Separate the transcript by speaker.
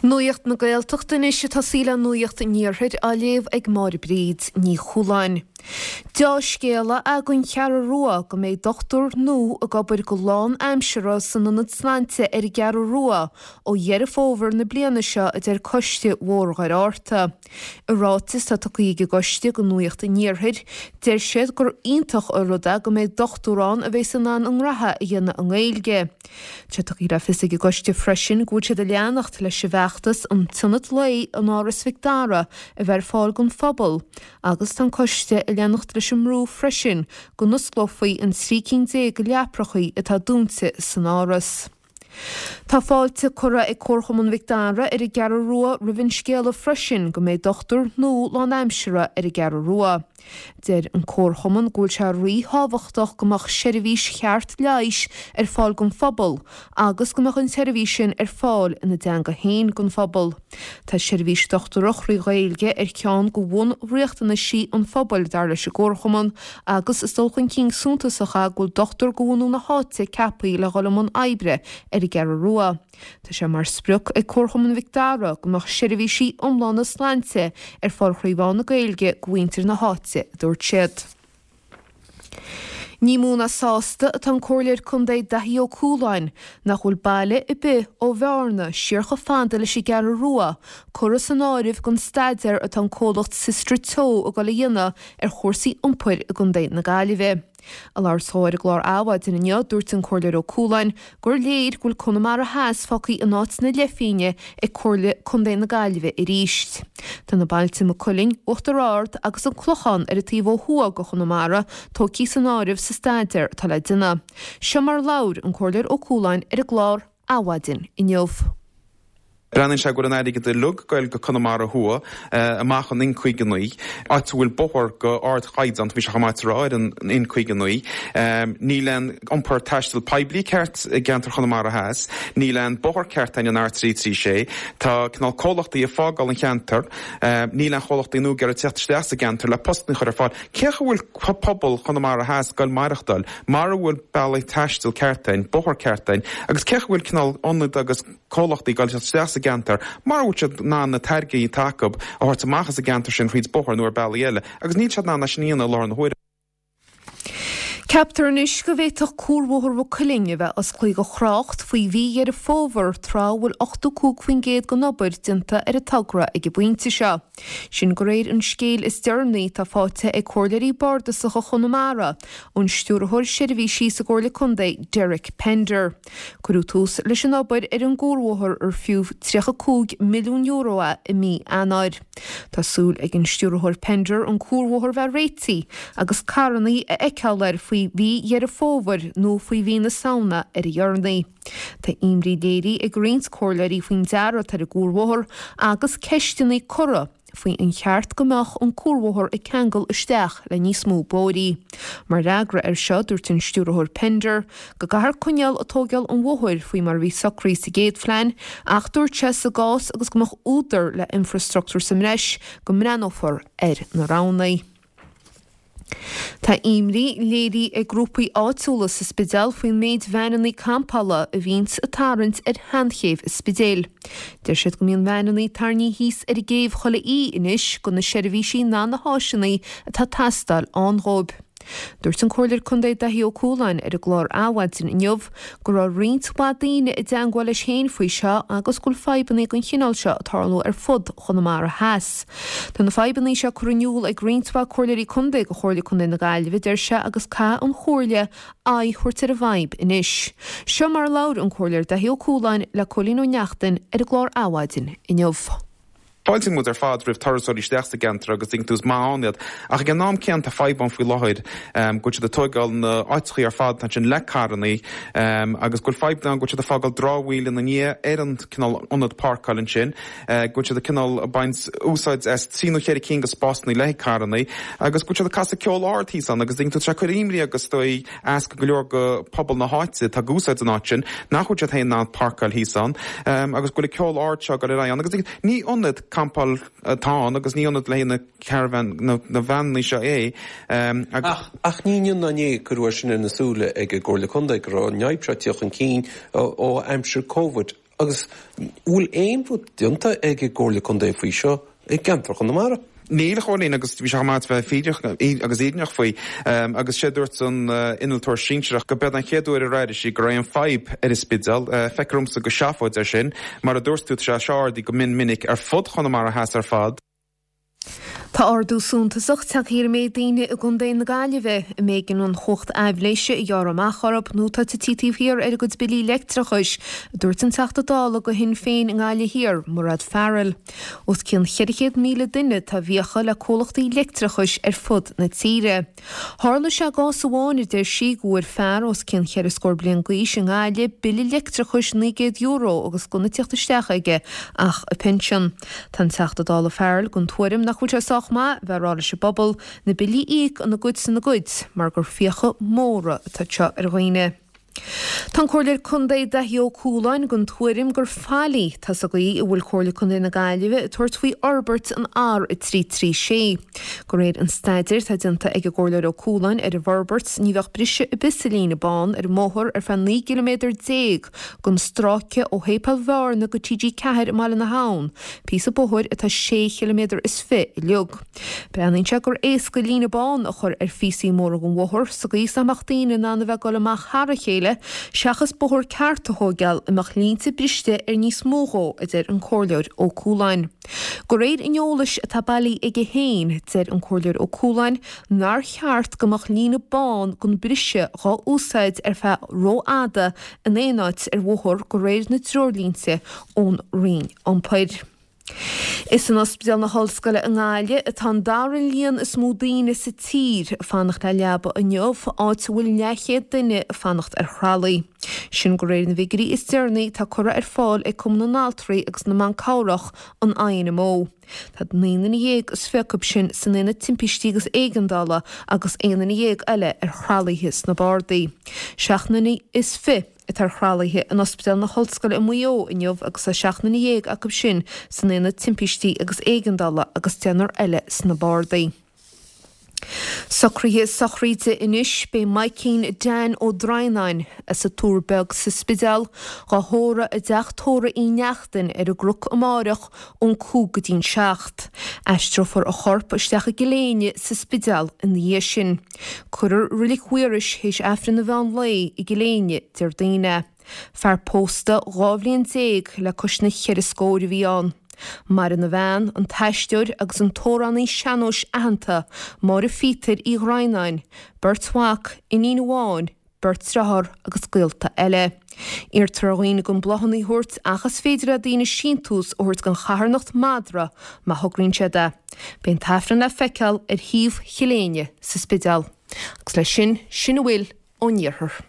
Speaker 1: Nuacht na Gaeltachta anois ag tosaí le Nuacht an Iarthair á léamh ag Máire Bríd Ní Chualáin. Deá-scéala é don Cheathrú Rua go mbeidh dochtúir nua ag obair go lán-aimseartha san Ionad Sláinte ar an gCeathrú Rua ó Dheireadh Fómhair na bliana seo a deir Coiste Bhóthar Dhoire Fhearta. I ráiteas atá tugtha ag an gcoiste do Nuacht an Iarthair, deir siad gur iontach an rud é go mbeidh dochtúir ann a bheas in ann a ngraithe a dhéanamh i nGaeilge. Tá tugtha le fios ag an gcoiste freisin go bhfuil siad ag leanacht leis an bhfeachtas an t-ionad lae in Áras Mhic Dara a bheith ar fáil don phobal agus tá an coiste ag leanacht leis an mbrú freisin go n-osclófaí an 13 cinn de leaprachaí atá dúnta san Áras. Tá fáilte curtha ag Comharchumann Mhic Dara ar an gCeathrú Rua roimh an scéala freisin go mbeidh dochtúir nua lánaimseartha ar an gCeathrú Rua. Deir an Comharchumann go bhfuil sé ríthábhachtach go mbeadh seirbhís cheart leighis ar fáil don phobal agus go mbeadh an tseirbhís sin ar fáil ina dteanga féin don phobal. Tá seirbhís dochtúireach thrí Ghaeilge ar cheann de bhunriachtanaisí an phobail, dar leis an gComharchumann, agus is dul chun cinn suntasach é go bhfuil dochtúir de bhunú na háite ceaptha le dhul i mbun oibre ar an gCeathrú Rua. Tá sé mar sprioc ag Comharchumann Mhic Dara go mbeadh seirbhísí iomlána sláinte ar fáil thrí mheán na Gaeilge do mhuintir na háite, a dúirt siad. Ní mó ná sásta atá an Comhairleoir Contae Daithí Ó Cualáin nach bhfuil baile ar bith ó Bhearna siar chomh fada leis an gCeathrú Rua curtha san áireamh don staidéar atá an comhlacht Systra Teo ag dul a dhéanamh ar chúrsaí iompair i gContae na Gaillimhe. Ag labhairt dó ar an gclár Adhmhaidin inniu, dúirt an Comhairleoir Ó Cualáin gur léir go bhfuil Conamara Theas fágtha in áit na leithphingne ag Comhairle Contae na Gaillimhe arís. Tá na bailte Maigh Cuilinn, Uachtar Ard agus an Clochán ar an taobh ó thuaidh de Chonamara tógtha san áireamh sa staidéar atá le déanamh. Seo mar a labhair an Comhairleoir Ó Cualáin ar an gclár Adhmhaidin inniu.
Speaker 2: Breathnaíonn sé go bhfuil an airgead uilig ag goil go Conamara Thuaidh, amach an N59, áit a bhfuil bóthar go ardchaighdeán, tá sé chomh maith a rá, ar an N59. Níl aon iompar taistil poiblí ceart i gceantar Chonamara Theas, níl aon bóthar ceart ann an R336, tá cineál comhlachtaí ag fágáil an cheantair, níl aon chomhlachtaí nua ag iarraidh teacht isteach sa gceantar le postanna a chur ar fáil. Cé chaoi a bhfuil pobal Chonamara Theas ag goil maireachtáil mara bhfuil bealaí taistil ceart ann, bóthar ceart ann, agus cé chaoi a bhfuil cineál ionad agus. comhlachtaí ag goil isteach sa gceantar mara bhfuil siad in ann na táirgí atá acu a thabhairt amach as an gceantar sin thríd bóthar nó ar bealaí eile agus níl siad in ann é sin a dhéanamh i láthair na huaire.
Speaker 1: Ceaptar anois go bhféadfadh Cuarbhóthar Mhaigh Cuilinn a bheith osclaithe do thrácht faoi mhí Dheireadh Fómhair tráth a bhfuil 85% den obair déanta ar an togra ag an bpointe seo. Sin de réir an scéil is deireanaí atá faighte ag Comhairleoirí Bardasacha Chonamara ón Stiúrthóir Seirbhísí sa gComhairle Contae, Derek Pender. Cuireadh tús leis an obair ar an gcuarbhóthar ar fiú €35 milliún é i mí Eanáir. Tá súil ag an Stiúrthóir Pender an cuarbhóthar bheith réitithe agus carrannaí a fheiceáil air faoi mhí Dheireadh Fómhair nó faoi mhí na Samhna ar a dheireanaí. Tá imní léirithe ag roinnt comhairleoirí faoin dearadh atá ar an gcuarbhóthar agus ceisteanna curtha faoi an cheart go mbeadh an cuarbhóthar ag ceangal isteach le níos mó bóithrí. Mar fhreagra air seo, dúirt an Stiúrthóir Pender go gcaithfear coinneáil ag tógáil an bhóthair faoi mar a bhí socraithe sa gcéad phlean ach dúirt sé sa gcás agus go mbeadh údar le infreastruchtúr sa mbreis go mbreathnófar ar na roghanna. Tá imní léirithe ag grúpaí áitiúla sa Spidéal faoin méid veaineanna campála a bhíonns ag tarraingt ar sheanchéibh an Spidéil. Deir siad go mbíonn veaineanna tarraingthe thíos ar an gcéibh chuile oíche anois gan na seirbhísí ná na háiseanna atá ag teastáil ann dhóibh. Dúirt an Comhairleoir Contae Daithí Ó Cualáin ar an gclár Adhmhaidin inniu go raibh roinnt mhaith daoine i dteangmháil leis féin faoi seo agus go bhfuil fadhbanna den chineál seo ag tarlú ar fud Chonamara Theas. Tá na fadhbanna seo curtha in iúl ag roinnt mhaith Comhairleoirí Contae go Chomhairle Contae na Gaillimhe, a deir sé, agus caithfidh an Chomhairle aghaidh a thabhairt ar an bhfadhb anois. Seo mar a labhair an Comhairleoir Daithí Ó Cualáin le Cóilín Ó Neachtain ar an gclár Adhmhaidin inniu.
Speaker 2: Fáiltíonn muid ar fad roimh turasóirí isteach sa gceantar agus tuigeann tú is maith ann iad ach ag an am céanna tá fadhb ann faoi láthair go bhfuil siad ag tóigeáil na áiteachaí ar fad atá ansin le carrannaí agus go bhfuil fadhb ann go bhfuil siad ag fágáil dramhaíl ina ndiaidh ar an cineál ionad páirceáil ansin. go bhfuil siad ag cineál ag baint úsáid as trí nó cheithre cinn de spásanna le haghaidh carrannaí agus go bhfuil siad ag casadh ceol ard thíos ann agus tuigeann tú tá sé ag cur imní agus is dóigh as go leor de phobal na háite atá ag úsáid an áit sin nach bhfuil siad féin in ann páirceáil thíos ann agus go bhfuil an ceol ard seo ag dul ar aghaidh ann agus ní ionad campáil atá ann agus ní ionad le haghaidh na caravan na veaineanna seo é
Speaker 3: agus. Ach, ach ní inniu ná inné a cuireadh é sin ar na súile ag an gComhairle Contae go raibh an fhadhb seo ag tíocht chun cinn ó aimsir Covid. Agus bhfuil aon rud déanta ag an gComhairle Contae faoi seo i gceantar Chonamara?
Speaker 2: Níl, a Chóilín, agus bhí sé chomh maith a bheith fírinneach agus fhírinneach faoi. Agus sé a dúirt an innealtóir sinsearach go b'eod an chéad uair ar airigh sí go raibh aon fadhb ar an Spidéal. Feictear dhomsa gur seafóid é sin. Mar a dúirt tú, tá sé seo ardaithe go mion minic ar fud Chonamara Theas ar fad.
Speaker 1: Tá ardú suntasach tagtha ar an méid daoine i gContae na Gaillimhe a mb'éigean an chumhacht aibhléise a ghearradh amach orthu nó atá tite taobh thiar ar a gcuid billí leictreachais, a dúirt an Teachta Dála do Shinn Féin i nGaillimh Thiar, Mairéad Farrell. Os cionn 400,000 duine atá i bhfiacha le comhlachtaí leictreachais ar fud na tíre. Tharla sé i gcás amháin, a deir sí, go bhfuair fear os cionn cheithre scór bliain d'aois i nGaillimh bille leictreachais €900 agus gan ag tíocht isteach aige ach a phinsean. Tá an Teachta Dála Farrell den tuairim nach bhfuil sé sách maith bheith ag rá leis an bpobal na billí a íoc ina gcuid 's ina gcuid mar gur fiacha móra atá seo ar dhaoine. Tá an Comhairleoir Contae Daithí Ó Cualáin den tuairim gur faillí atá sa gcaoi a bhfuil Comhairle Contae na Gaillimhe ag tabhairt faoi fhorbairt an R336. De réir an staidéir atá déanta ag an gComhairleoir Ó Cualáin ar an bhforbairt, ní bheadh briseadh ar bith sa líne bán ar an mbóthar ar feadh 19 gciliméadar den stráice ó Shéipéal Bhearna go TG4 i mBaile na hAbhann, píosa bóthair atá sé chiliméadar is fi uilig. Breathnaíonn sé gur éasca líne bán a chur ar phíosaí móra den bhóthar sa gcaoi is nach mbeadh daoine in ann a bheith ag dul amach thar a chéile seachas bóthar ceart a thóigeáil a mbeadh línte briste ar níos mó dhó, a deir an Comhairleoir Ó Cualáin. De réir an eolais atá bailithe aige féin, deir an Comhairleoir Ó Cualáin nár cheart go mbeadh líne bán gan briseadh dhá úsáid ar feadh rófhada in aon áit ar bhóthar de réir na dtreoirlínte ón Roinn Iompair. Is in Ospidéal na hOllscoile i nGaillimh atá an dara líon is mó daoine sa tír ag fanacht le leaba inniu, áit a bhfuil leathchéad duine ag fanacht ar thralaí. Sin de réir na bhfigiúirí is deireanaí atá curtha ar fáil ag Cumann na nAltraí agus na mBan Cabhrach, an INMO. Tá 19 nduine is 20 acu sin san Aonad Timpistí agus Éigeandála agus 11 nduine eile ar thralaithe sna bardaí. 27 nduine is 20. atá ar thralaithe in Ospidéal na hOllscoile i Maigh Eo inniu agus tá 17 nduine acu sin san Aonad Timpistí agus Éigeandála agus deichniúr eile sna bardaí. Socruithe sochraide anois, beidh Maidhcín Dan Ó Droighneáin, as an Tuar Beag sa Spidéal, dhá thórramh i dteach tórraimh Uí Neachtain ar an gCnoc amáireach ón 5 go dtí'n 7. Aistreofar a chorp isteach i gCill Éinne sa Spidéal ina dhiaidh sin. Cuirfear Roilig Mhaorais théis Aifreann an mheán lae i gCill Éinne Déardaoin. Fear pósta 12 bhliain le cois na cheithre scóir a bhí ann. Maireann a bhean, an t-aisteoir agus an t-amhránaí sean-nóis aitheanta, Máire Phíotair Uí Dhroighneáin, beirt mhac, iníon amháin, beirt dearthár agus gaolta eile. Iarrtar ar dhaoine gan bláthanna a thabhairt ach is féidir le daoine síntiús a thabhairt don charthanacht Madra má thograíonn siad é. Beidh an tAifreann le feiceáil ar shuíomh Chill Éinne sa Spidéal. Agus leis sin, sin a bhfuil ón iarthar.